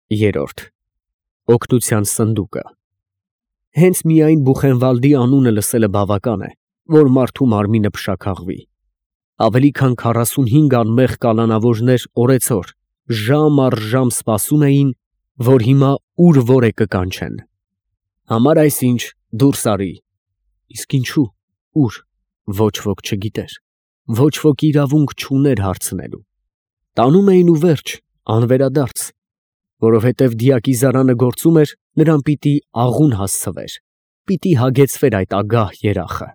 Երրորդ օգնության սնդուկը։ Հենց միայն Բուխենվալդի անունը լսելը բավական է, որ մարդու մարմինը փշաքաղվի։ Ավելի քան 45 անմեղ կալանավորներ օրեցօր, ժամ առ ժամ սպասում էին, որ հիմա ուր որ է կկանչեն։ Համար այսինչ դուրս արի։ Իսկ ինչու, ուր, ոչ ոք չգիտեր, ոչ ոք իրավունք չուներ հարցնելու։ Տանում էին ու վերջ, անվերադարձ, որովհետև դիակիզարանը գործում էր, նրան պիտի աղուն հասցվեր, պիտի հագեցվեր այդ ագահ երախը։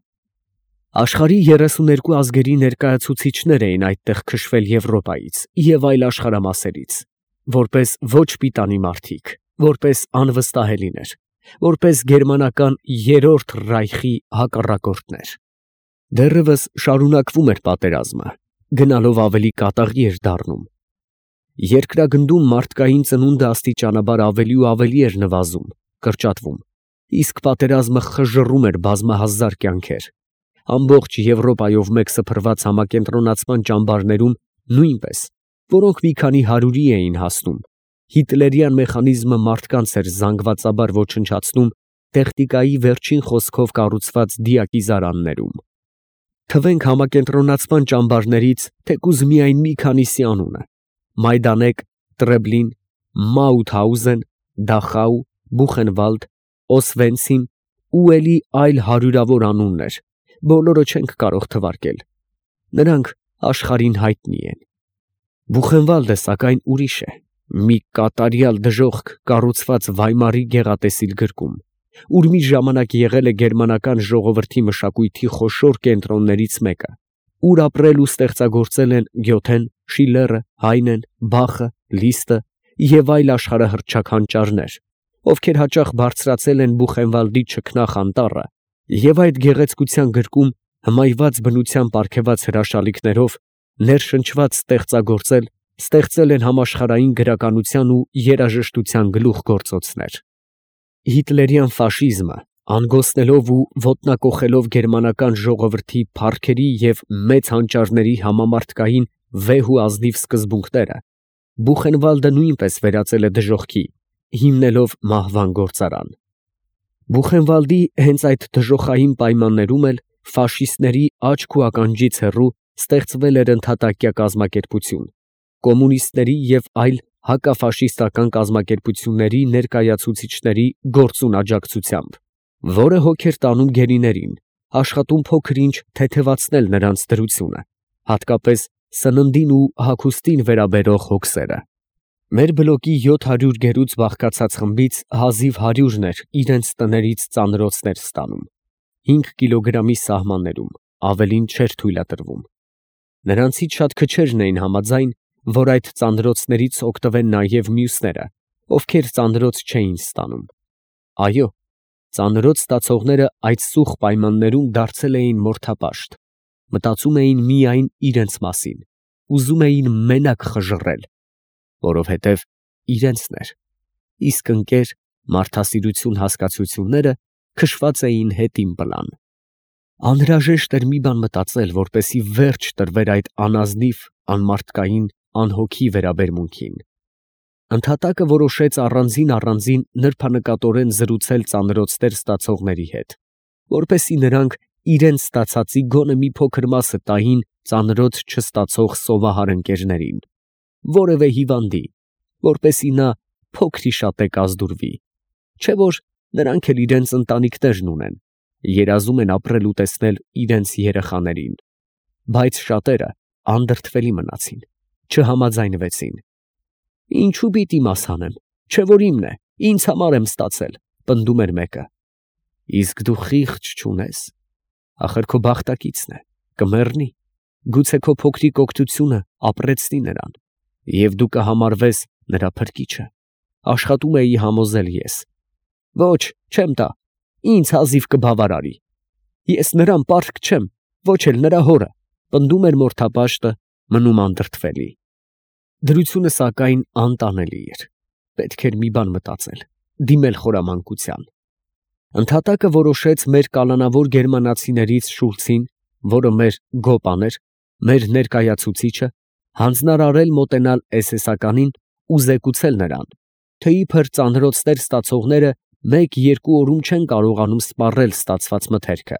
Աշխարհի 32 ազգերի ներկայացուցիչներ էին այդտեղ քշվել Եվրոպայից և այլ աշխարհամասերից, որպես ոչ պիտանի մարդիկ, որպես անվստահելիներ, որպես գերմանական երրորդ ռայխի հակառակորդներ։ Դեռևս շարունակվում էր պատերազմը, գնալով ավելի կատաղի էր դառնում։ Երկրագնդում մարդկային ծնունդը աստիճանաբար ավելի ու ավելի էր նվազում, կրճատվում, իսկ պատերազմը խժռում էր բազմահազար կյանքեր։ Ամբողջ Եվրոպայով մեկ սփռված համակենտրոնացման ճամբարներում նույնպես, որոնք մի քանի հարյուրի էին հասնում, հիտլերյան մեխանիզմը մարդկանց էր զանգվածաբար ոչնչացնում տեխնիկայի վերջին խոսքով կառուցված դիակիզարաններում։ Թվենք համակենտրոնացման ճամբարներից թեկուզ միայն մի քանիսի անունը՝ Մայդանեկ, Տրեբլին, Մաութհաուզեն, Դախաու, Բուխենվալդ, Օսվենցիմ ու էլի այլ հարյուրավոր անուններ, բոլորը չենք կարող թվարկել։ Նրանք աշխարհին հայտնի են։ Բուխենվալդը սակայն ուրիշ է, մի կատարյալ դժոխք կառուցված Վայմարի գեղատեսիլ գրկում, ուր մի ժամանակ եղել է գերմանական ժողովրդի մշակույթի խոշոր կենտրոններից մեկը, ուր ապրել ու ստեղծագործել են Գյոթեն, Շիլլերը, Հայնեն, Բախը, Լիստը և այլ աշխարհահռչակ հանճարներ, ովքեր հաճախ բարձրացել են Բուխենվալդի չքնաղ անտառը և այդ գեղեցկության գրկում հմայված բնության պարգևած հրաշալիքներով ներշնչված ստեղծել են համաշխարհային գրականության ու երաժշտության գլուխգործոցներ։ Հիտլերյան ֆաշիզմը, անգոսնելով ու ոտնակոխելով գերմանական ժողովրդի փառքերի և մեծ հանճարների համամարտկային վեհ ու ազնիվ սկզբունքները, Բուխենվալդը նույնպես վերածել է դժոխքի, հիմնելով մահվան գործարան։ Բուխենվալդի հենց այդ դժոխային պայմաններում էլ ֆաշիստների աչք ու ականջից հեռու ստեղծվել էր ընդհատակյա կազմակերպություն, կոմունիստների և այլ հակաֆաշիստական կազմակերպությունների ներկայացուցիչների գործուն աջակցությամբ, որը հոգ էր տանում գերիներին, աշխատում փոքր-ինչ թեթևացնել նրանց դրությունը, հատկապես սննդին ու հագուստին վերաբերող հոգսերը։ Մեր բլոկի 700 գերուց բաղկացած խմբից հազիվ 100-ն էր իրենց տներից ծանրոցներ ստանում, 5 կիլոգրամի սահմաններում, ավելին չէր թույլատրվում։ Նրանցից շատ քչերն էին համաձայն, որ այդ ծանրոցներից օգտվեն նաև մյուսները, ովքեր ծանրոց չէին ստանում։ Այո, ծանրոց ստացողները այդ սուխ պայմաններում դարձել էին մորթապաշտ, մտածում էին միայն իրենց մասին, ուզում էին մենակ խժռել, որովհետև իրենցն էր, իսկ ընկեր մարդասիրություն հասկացությունները քշված էին հետին պլան։ Անհրաժեշտ էր մի բան մտածել, որպեսզի վերջ տրվեր այդ անազնիվ, անմարդկային, անհոգի վերաբերմունքին։ Ընդհատակը որոշեց առանձին նրբանկատորեն զրուցել ծանրոցներ ստացողների հետ, որպեսզի նրանք իրենց ստացածի գոնե մի փոքր մասը տային ծանրոց չստացող սովահար ընկերներին, որևէ հիվանդի, որպեսզի նա փոքր-ի-շատե կազդուրվի, չէ՞ որ նրանք էլ իրենց ընտանիքներն ունեն, երազում են ապրել ու տեսնել իրենց երեխաներին, բայց շատերը անդրդվելի մնացին, չհամաձայնվեցին։ Ինչու պիտի մաս անեմ, չէ՞ որ իմն է, ինձ համար եմ ստացել, պնդում էր մեկը։ Իսկ դու խիղճ չունես, ախր քո բախտակիցն է, կմեռնի, գուցե քո փոքրիկ օգնությունը ապրեցնի նրան, և դու կհամարվես նրա փրկիչը, աշխատում էի համոզել ես։ Ոչ, չեմ տա, ինձ հազիվ կբավարարի։ Ես նրան պարտք չեմ, ոչ էլ նրա հորը, պնդում էր մորթապաշտը, մնում անդրդվելի։ Դրությունը սակայն անտանելի էր, պետք էր մի բան մտածել, դիմել խորամանկության։ Ընդհատակը որոշեց մեր կալանավոր գերմանացիներից Շուլցին, որը մեր գոպան էր, մեր ներկայացուցիչը, հանձնարարել մոտենալ էսեսականին ու զեկուցել նրան, թե իբր ծանրոցներ ստացողները 1-2 օրում չեն կարողանում սպառել ստացված մթերքը։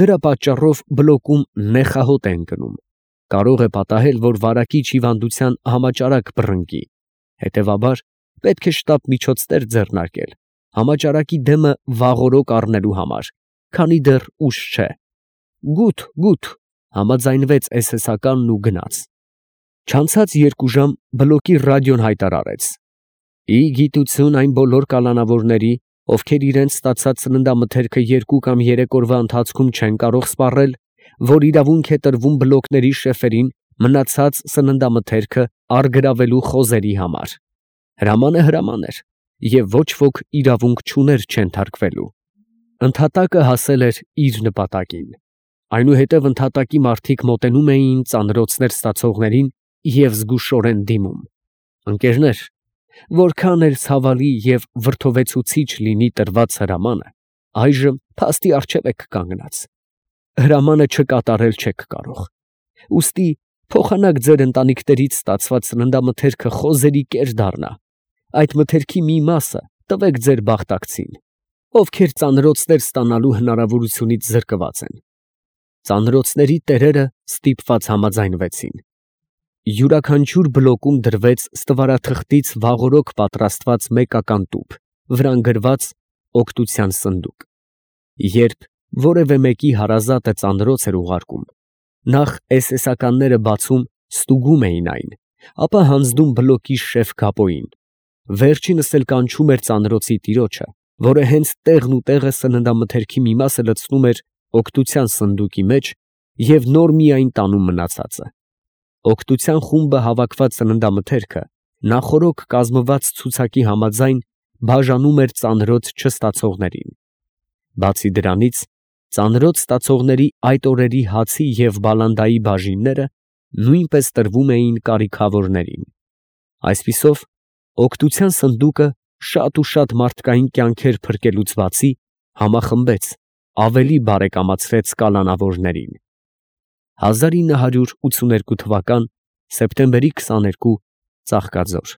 Դրա պատճառով բլոկում նեխահոտ են գնում։ Կարող է պատահել, որ վարակիչ հիվանդության համաճարակ բռնկի։ Հետևաբար, պետք է շտապ միջոցներ ձեռնարկել համաճարակի դեմը վաղօրոք առնելու համար, քանի դեռ ուշ չէ։ Գութ, համաձայնվեց էսեսականն ու գնաց։ Չանցած 2 ժամ բլոկի ռադիոն հայտարարեց. «Ի գիտություն այն բոլոր կալանավորների, ովքեր իրենց ստացած սննդամթերքը 2 կամ 3 օրվա ընթացքում չեն կարող սպառել, որ իրավունք է տրվում բլոկների շեֆերին մնացած սննդամթերքը առգրավելու խոզերի համար»։ Հրամանը հրաման էր, և ոչ ոք իրավունք չուներ չենթարկվելու։ Ընդհատակը հասել էր իր նպատակին։ Այնուհետև ընդհատակի մարդիկ մոտենում էին ծանրոցներ ստացողներին և զգուշորեն դիմում։ Ընկերներ, որքան էլ ցավալի և վրդովեցուցիչ լինի տրված հրամանը, այժմ փաստի առջև եք կանգնած։ Հրամանը չկատարել չեք կարող։ Ուստի փոխանակ ձեր ընտանիքներից ստացված սննդամթերքը խոզերի կեր դառնա, այդ մթերքի մի մասը տվեք ձեր բախտակցին, ովքեր ծանրոցներ ստանալու հնարավորությունից զրկված են։ Ծանրոցների տերերը ստիպված համաձայնվեցին։ Յուրաքանչյուր բլոկում դրվեց ստվարաթղթից վաղօրոք պատրաստված մեկական տուփ, վրան գրված օգնության սնդուկ։ Երբ որևէ մեկի հարազատը ծանրոց էր ուղարկում, նախ էսեսականները բացում ստուգում էին այն, ապա հանձնում բլոկի շեֆ Գապոյին։ Վերջինս էլ կանչում էր ծանրոցի տիրոջը, որը հենց տեղն ու տեղը սննդամթերքի մի մասը լցնում էր օգնության սնդուկի մեջ և նոր միայն տանում մնացածը։ Օգնության խումբը հավաքված սննդամթերքը նախօրոք կազմված ցուցակի համաձայն բաժանում էր ծանրոց չստացողներին։ Բացի դրանից, ծանրոց ստացողների այդ օրերի հացի և բալանդայի բաժինները նույնպես տրվում էին կարիքավորներին։ Այսպիսով, օգնության սնդուկը շատ ու շատ մարդկային կյանքեր փրկելուց բացի, համախմբեց, ավելի բարեկամացրեց կալանավորներին։ 1982 թվական սեպտեմբերի 22 Ծաղկաձոր։